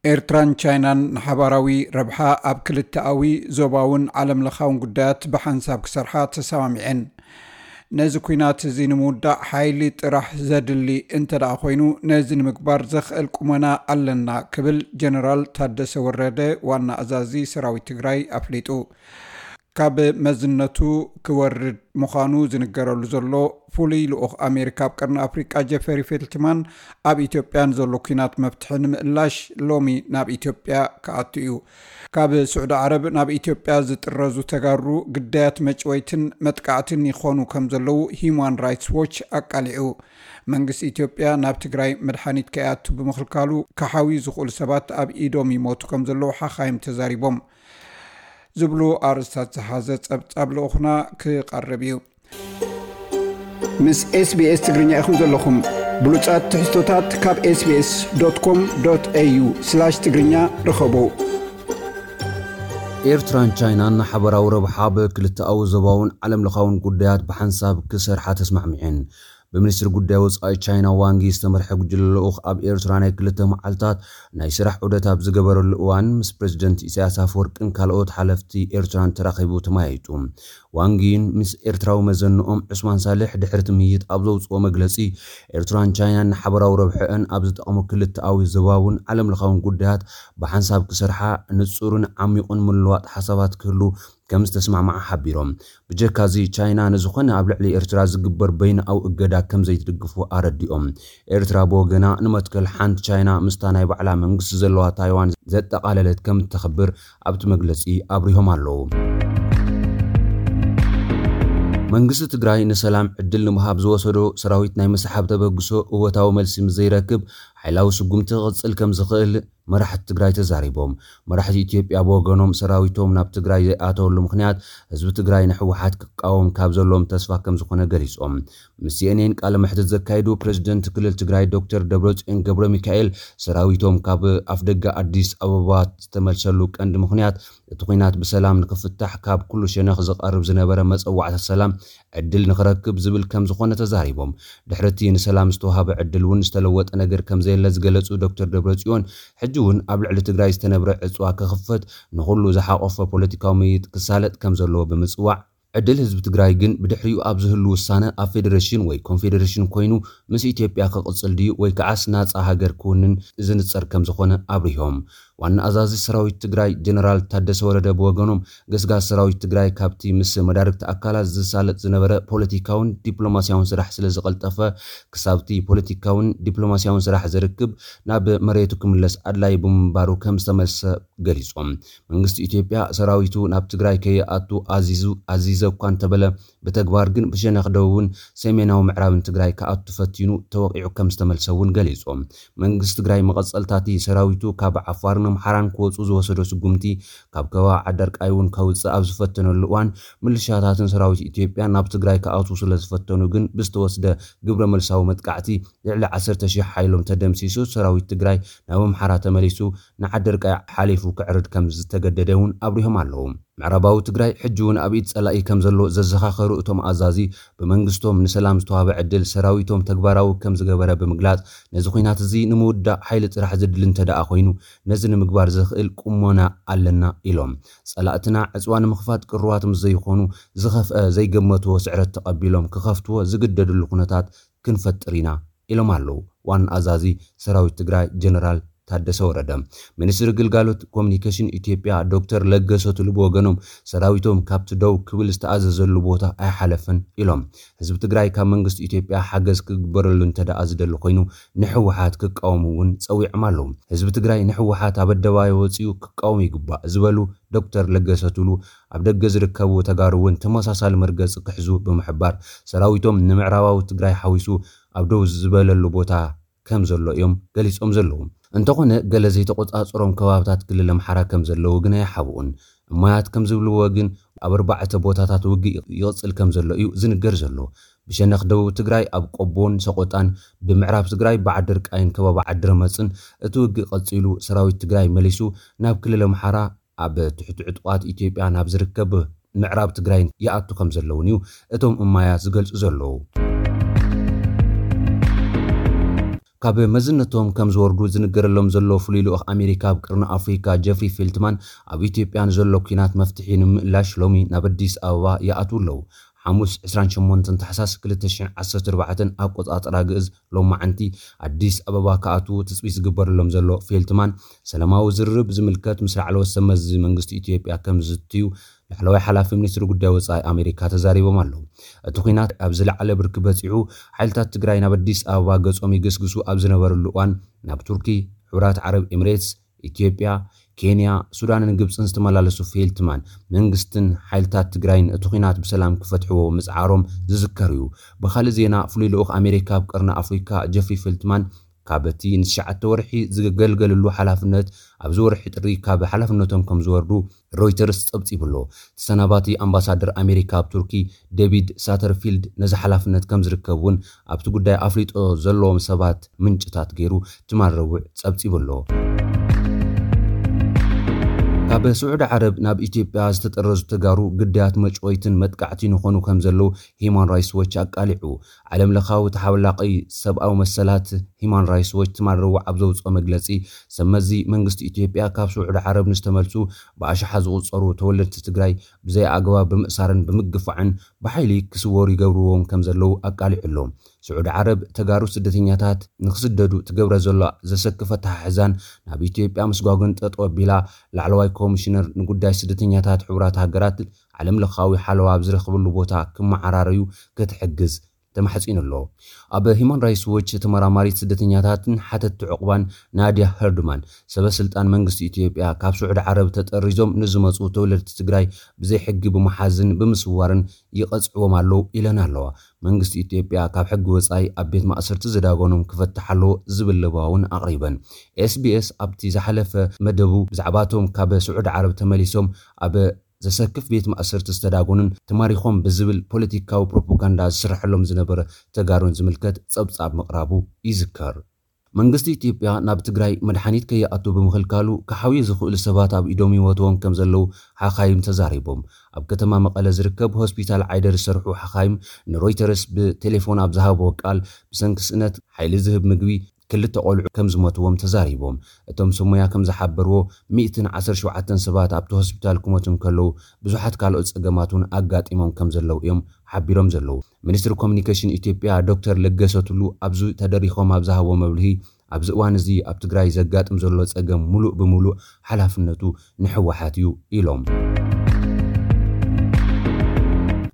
ኤርትራን ቻይናን ንሓባራዊ ረብሓ ኣብ ክልተኣዊ፣ ዞባውን ዓለምለኻውን ጉዳያት ብሓንሳብ ክሰርሓ ተሰማሚዐን። ነዚ ኲናት እዚ ንምውዳእ ሓይሊ ጥራሕ ዘድሊ እንተ ደኣ ኮይኑ፣ ነዚ ንምግባር ዘኽእል ቁመና ኣለና ክብል ጀነራል ታደሰ ወረደ፣ ዋና ኣዛዚ ሰራዊት ትግራይ፣ ኣፍሊጡ። ካብ መዝነቱ ክወርድ ምዃኑ ዝንገረሉ ዘሎ ፍሉይ ልኡኽ ኣሜሪካ ኣብ ቀርኒ ኣፍሪቃ ጀፈሪ ፌልትማን፣ ኣብ ኢትዮጵያ ንዘሎ ኲናት መፍትሒ ንምእላሽ ሎሚ ናብ ኢትዮጵያ ክኣቱ እዩ። ካብ ስዑዲ ዓረብ ናብ ኢትዮጵያ ዝጥረዙ ተጋሩ ግዳያት መጭወይትን መጥቃዕትን ይኾኑ ከም ዘለዉ ሂዩማን ራይትስ ዎች ኣቃሊዑ። መንግስቲ ኢትዮጵያ ናብ ትግራይ መድሓኒት ከይኣቱ ብምኽልካሉ፣ ክሓውዩ ዝኽእሉ ሰባት ኣብ ኢዶም ይሞቱ ከም ዘለዉ ሓኻይም ተዛሪቦም። ዝብሉ ኣርእስታት ዝሓዘ ጸብጻብ ልኡኽና ክቐርብ እዩ። ምስ ኤስቢኤስ ትግርኛ ኢኹም ዘለኹም። ብሉጻት ትሕዝቶታት ካብ ኤስቢኤስ ዶት ኮም ዶት ኤዩ ስላሽ ትግርኛ ርኸቡ። ኤርትራን ቻይናን ንሓበራዊ ረብሓ ብክልተኣዊ፣ ዞባውን ዓለምለኻውን ጉዳያት ብሓንሳብ ክሰርሓ ተስማዕሚዐን። ብሚኒስትሪ ጉዳይ ወጻኢ ቻይና ዋንጊ ዝተመርሐ ጉጅለ ልኡኽ ኣብ ኤርትራ ናይ ክልተ መዓልታት ናይ ስራሕ ዑደት ኣብ ዝገበረሉ እዋን፣ ምስ ፕረዚደንት ኢሳያስ ኣፈወርቅን ካልኦት ሓለፍቲ ኤርትራን ተራኺቡ ተመያይጡ። ዋንጊን ምስ ኤርትራዊ መዘንኦም ዑስማን ሳልሕ ድሕሪ ትምይጥ ኣብ ዘውጽኦ መግለጺ፣ ኤርትራን ቻይናን ንሓበራዊ ረብሐአን ኣብ ዝጠቕሙ ክልተኣዊ፣ ዞባውን ዓለምለኻውን ጉዳያት ብሓንሳብ ክሰርሓ፣ ንጹርን ዓሚቑን ምልውዋጥ ሓሳባት ክህሉ ከም ዝተስማዕማዓ ሓቢሮም። ብጀካዚ፣ ቻይና ንዝኾነ ኣብ ልዕሊ ኤርትራ ዝግበር በይንኣዊ እገዳ ከም ዘይትድግፉ ኣረዲኦም። ኤርትራ ብወገና፣ ንመትከል ሓንቲ ቻይና ምስታ ናይ ባዕላ መንግስቲ ዘለዋ ታይዋን ዘጠቓለለት ከም እተኽብር ኣብቲ መግለጺ ኣብሪሆም ኣለዉ። መንግስቲ ትግራይ ንሰላም ዕድል ንምሃብ ዝወሰዶ ሰራዊት ናይ ምስሓብ ተበግሶ እወታዊ መልሲ ምስ ዘይረክብ፣ ሓይላዊ ስጉምቲ ክቕጽል ከም ዝኽእል መራሕቲ ትግራይ ተዛሪቦም። መራሕቲ ኢትዮጵያ ብወገኖም፣ ሰራዊቶም ናብ ትግራይ ዘይኣተወሉ ምኽንያት ህዝቢ ትግራይ ንህወሓት ክቃወም ካብ ዘለዎም ተስፋ ከም ዝኾነ ገሊጾም። ምስ ሲኤንኤን ቃለ መሕትት ዘካየዱ ፕረዚደንት ክልል ትግራይ ዶክተር ደብረጽዮን ገብረ ሚካኤል፣ ሰራዊቶም ካብ ኣፍደገ ኣዲስ ኣበባ ዝተመልሰሉ ቀንዲ ምኽንያት፣ እቲ ኲናት ብሰላም ንክፍታሕ ካብ ኩሉ ሸነኽ ዝቐርብ ዝነበረ መጸዋዕታ ሰላም ዕድል ንክረክብ ዝብል ከም ዝኾነ ተዛሪቦም። ድሕሪ እቲ ንሰላም ዝተዋህበ ዕድል እውን ዝተለወጠ ነገር ከም ዘየለ ዝገለጹ ዶክተር ደብረጽዮን፣ ሕጂ እውን ኣብ ልዕሊ ትግራይ ዝተነብረ ዕጽዋ ክኽፈት፣ ንኹሉ ዝሓቆፈ ፖለቲካዊ ምይይጥ ክሳለጥ ከም ዘለዎ ብምጽዋዕ፣ ዕድል ህዝቢ ትግራይ ግን ብድሕሪኡ ኣብ ዝህሉ ውሳነ ኣብ ፌዴሬሽን ወይ ኮንፌዴሬሽን ኮይኑ ምስ ኢትዮጵያ ክቕጽል ድዩ ወይ ከዓስ ናጻ ሃገር ክውንን ዝንጸር ከም ዝኾነ ኣብሪሆም። ዋና ኣዛዚ ሰራዊት ትግራይ ጀነራል ታደሰ ወረደ ብወገኖም፣ ገስጋስ ሰራዊት ትግራይ ካብቲ ምስ መዳርግቲ ኣካላት ዝሳለጥ ዝነበረ ፖለቲካውን ዲፕሎማሲያውን ስራሕ ስለ ዝቐልጠፈ፣ ክሳብቲ ፖለቲካውን ዲፕሎማሲያውን ስራሕ ዝርክብ ናብ መሬቱ ክምለስ ኣድላዪ ብምንባሩ ከም ዝተመልሰ ገሊጾም። መንግስቲ ኢትዮጵያ ሰራዊቱ ናብ ትግራይ ከይኣቱ ኣዚዙ፣ ኣዚዘ እኳ እንተበለ፣ ብተግባር ግን ብሸነኽ ደቡብን ሰሜናዊ ምዕራብን ትግራይ ክኣቱ ፈቲኑ ተወቒዑ ከም ዝተመልሰ እውን ገሊጾም። መንግስቲ ትግራይ መቐጸልታቲ ሰራዊቱ ካብ ዓፋርን ኣምሓራን ክወጹ ዝወሰዶ ስጉምቲ፣ ካብ ከባቢ ዓደርቃይ እውን ከውጽእ ኣብ ዝፈተነሉ እዋን፣ ምልሻታትን ሰራዊት ኢትዮጵያ ናብ ትግራይ ክኣትዉ ስለ ዝፈተኑ ግን ብዝተወስደ ግብረ መልሳዊ መጥቃዕቲ ልዕሊ ዓሰርተ ሺሕ ሓይሎም ተደምሲሱ፣ ሰራዊት ትግራይ ናብ ኣምሓራ ተመሊሱ ንዓደርቃይ ሓሊፉ ክዕርድ ከም ዝተገደደ እውን ኣብሪሆም ኣለዉ። ምዕራባዊ ትግራይ ሕጂ እውን ኣብ ኢድ ጸላኢ ከም ዘሎ ዘዘኻኸሩ እቶም ኣዛዚ፣ ብመንግስቶም ንሰላም ዝተዋህበ ዕድል ሰራዊቶም ተግባራዊ ከም ዝገበረ ብምግላጽ፣ ነዚ ኲናት እዚ ንምውዳእ ሓይሊ ጥራሕ ዘድሊ እንተ ደኣ ኮይኑ፣ ነዚ ንምግባር ዘኽእል ቁመና ኣለና ኢሎም። ጸላእትና ዕጽዋ ንምኽፋት ቅሩባት ምስ ዘይኾኑ፣ ዝኸፍአ ዘይገመትዎ ስዕረት ተቐቢሎም ክኸፍትዎ ዝግደድሉ ኩነታት ክንፈጥር ኢና ኢሎም ኣለዉ ዋና ኣዛዚ ሰራዊት ትግራይ ጀነራል ታደሰ ወረደ። ሚኒስትሪ ግልጋሎት ኮሚኒኬሽን ኢትዮጵያ ዶክተር ለገሰ ቱሉ ብወገኖም፣ ሰራዊቶም ካብቲ ደው ክብል ዝተኣዘዘሉ ቦታ ኣይሓለፈን ኢሎም። ህዝቢ ትግራይ ካብ መንግስቲ ኢትዮጵያ ሓገዝ ክግበረሉ እንተ ደኣ ዝደሊ ኮይኑ፣ ንህወሓት ክቃወሙ እውን ጸዊዖም ኣለዉ። ህዝቢ ትግራይ ንህወሓት ኣብ ኣደባባይ ወጺኡ ክቃወም ይግባእ ዝበሉ ዶክተር ለገሰ ቱሉ፣ ኣብ ደገ ዝርከቡ ተጋሩ እውን ተመሳሳሊ መርገጺ ክሕዙ ብምሕባር፣ ሰራዊቶም ንምዕራባዊ ትግራይ ሓዊሱ ኣብ ደው ዝበለሉ ቦታ ከም ዘሎ እዮም ገሊጾም ዘለዉ። እንተኾነ፣ ገለ ዘይተቆጻጸሮም ከባብታት ክልል ኣምሓራ ከም ዘለዉ ግን ኣይሓብኡን። እማያት ከም ዝብልዎ ግን፣ ኣብ ኣርባዕተ ቦታታት ውግእ ይቕጽል ከም ዘሎ እዩ ዝንገር ዘሎ። ብሸነኽ ደቡብ ትግራይ ኣብ ቆቦን ሰቆጣን፣ ብምዕራብ ትግራይ ብዓደርቃይን ከባቢ ዓድረመጽን እቲ ውግእ ቀጺሉ፣ ሰራዊት ትግራይ መሊሱ ናብ ክልል ኣምሓራ ኣብ ትሕቲ ዕጡቓት ኢትዮጵያ ናብ ዝርከብ ምዕራብ ትግራይ ይኣቱ ከም ዘለውን እዩ እቶም እማያት ዝገልጹ ዘለዉ። ካብ መዝነቶም ከም ዝወርዱ ዝንገረሎም ዘሎ ፍሉይ ልኡኽ ኣሜሪካ ኣብ ቅርኒ ኣፍሪካ ጀፍሪ ፌልትማን፣ ኣብ ኢትዮጵያ ንዘሎ ኲናት መፍትሒ ንምእላሽ ሎሚ ናብ ኣዲስ ኣበባ ይኣትዉ ኣለዉ። ሓሙስ ዕስራን ሸሞንተን ታሕሳስ ክልተ ሽሕን ዓሰርተ ኣርባዕተን ኣቆጻጽራ ግእዝ ሎማዓንቲ ኣዲስ ኣበባ ክኣትዉ ትጽቢት ዝግበረሎም ዘሎ ፌልትማን፣ ሰላማዊ ዝርርብ ዝምልከት ምስ ላዕለዎት ሰብ መዚ መንግስቲ ኢትዮጵያ ከም ዝዝትዩ ላዕለዋይ ሓላፊ ሚኒስትሪ ጉዳይ ወጻኢ ኣሜሪካ ተዛሪቦም ኣለዉ። እቲ ኲናት ኣብ ዝለዓለ ብርኪ በጺሑ፣ ሓይልታት ትግራይ ናብ ኣዲስ ኣበባ ገጾም ይግስግሱ ኣብ ዝነበርሉ እዋን፣ ናብ ቱርኪ፣ ሕቡራት ዓረብ ኤምሬትስ፣ ኢትዮጵያ፣ ኬንያ፣ ሱዳንን ግብጽን ዝተመላለሱ ፌልትማን፣ መንግስትን ሓይልታት ትግራይን እቲ ኲናት ብሰላም ክፈትሕዎ ምጽዓሮም ዝዝከር እዩ። ብኻልእ ዜና፣ ፍሉይ ልኡኽ ኣሜሪካ ኣብ ቀርኒ ኣፍሪካ ጀፍሪ ፌልትማን፣ ካብ እቲ ንትሽዓተ ወርሒ ዝገልገልሉ ሓላፍነት ኣብዚ ወርሒ ጥሪ ካብ ሓላፍነቶም ከም ዝወርዱ ሮይተርስ ጸብጺቡ ኣሎ። ተሰናባቲ ኣምባሳደር ኣሜሪካ ኣብ ቱርኪ ዴቪድ ሳተርፊልድ ነዚ ሓላፍነት ከም ዝርከብ እውን ኣብቲ ጉዳይ ኣፍሊጦ ዘለዎም ሰባት ምንጭታት ገይሩ ትማል ረቡዕ ጸብጺቡ ኣሎ። ካብ ስዑዲ ዓረብ ናብ ኢትዮጵያ ዝተጠረዙ ተጋሩ ግዳያት መጭወይትን መጥቃዕቲ ንኾኑ ከም ዘለዉ ሂማን ራይትስ ዎች ኣቃሊዑ። ዓለም ለኻዊ ተሓላቒ ሰብኣዊ መሰላት ሂማን ራይትስ ዎች ትማል ረቡዕ ኣብ ዘውፅኦ መግለፂ፣ ሰብ መዚ መንግስቲ ኢትዮጵያ ካብ ስዑዲ ዓረብ ንዝተመልሱ ብኣሽሓት ዝቑፀሩ ተወለድቲ ትግራይ ብዘይ ኣግባብ ብምእሳርን ብምግፋዕን ብሓይሊ ክስወሩ ይገብርዎም ከም ዘለዉ ኣቃሊዑ ኣሎ። ስዑዲ ዓረብ ተጋሩ ስደተኛታት ንክስደዱ ትገብረ ዘሎ ዘሰክፍ ኣተሓሕዛን ናብ ኢትዮጵያ ምስጓግን ጠጠው ኣቢላ፣ ላዕለዋይ ኮሚሽነር ንጉዳይ ስደተኛታት ሕቡራት ሃገራት ዓለም ለኻዊ ሓለዋ ኣብ ዝረኽብሉ ቦታ ክመዓራረዩ ክትሕግዝ ተማሕጺኑ ኣሎ። ኣብ ሂማን ራይትስ ዎች ተመራማሪት ስደተኛታትን ሓተቲ ዕቑባን ናድያ ሄርድማን፣ ሰበ ስልጣን መንግስቲ ኢትዮጵያ ካብ ስዑዲ ዓረብ ተጠሪዞም ንዝመጹ ተወለድቲ ትግራይ ብዘይ ሕጊ ብምሓዝን ብምስዋርን ይቐጽዕዎም ኣለዉ ኢለን ኣለዋ። መንግስቲ ኢትዮጵያ ካብ ሕጊ ወጻኢ ኣብ ቤት ማእሰርቲ ዝዳጎኖም ክፈትሕ ኣለዎ ዝብል ለበዋ እውን ኣቕሪበን። ኤስቢኤስ ኣብቲ ዝሓለፈ መደቡ ብዛዕባቶም ካብ ስዑዲ ዓረብ ተመሊሶም ኣብ ዘሰክፍ ቤት ማእሰርቲ ዝተዳጎኑን ተማሪኾም ብዝብል ፖለቲካዊ ፕሮፓጋንዳ ዝስርሐሎም ዝነበረ ተጋሩን ዝምልከት ጸብጻብ ምቕራቡ ይዝከር። መንግስቲ ኢትዮጵያ ናብ ትግራይ መድሓኒት ከይኣቱ ብምኽልካሉ ክሓውዩ ዝኽእሉ ሰባት ኣብ ኢዶም ይወትዎም ከም ዘለዉ ሓኻይም ተዛሪቦም። ኣብ ከተማ መቐለ ዝርከብ ሆስፒታል ዓይደር ዝሰርሑ ሓኻይም ንሮይተርስ ብቴሌፎን ኣብ ዝሃብዎ ቃል፣ ብሰንኪ ስእነት ሓይሊ ዝህብ ምግቢ ክልተ ቆልዑ ከም ዝሞትዎም ተዛሪቦም። እቶም ሰብ ሞያ ከም ዝሓበርዎ፣ ሚእትን ዓሰርተ ሸውዓተን ሰባት ኣብቲ ሆስፒታል ክሞቱ እንከለዉ፣ ብዙሓት ካልኦት ጸገማት እውን ኣጋጢሞም ከም ዘለዉ እዮም ሓቢሮም ዘለዉ። ሚኒስትሪ ኮሚኒኬሽን ኢትዮጵያ ዶክተር ለገሰ ቱሉ ኣብዚ ተደሪኾም ኣብ ዝሃቦ መብርሂ፣ ኣብዚ እዋን እዚ ኣብ ትግራይ ዘጋጥም ዘሎ ጸገም ሙሉእ ብሙሉእ ሓላፍነቱ ንህወሓት እዩ ኢሎም።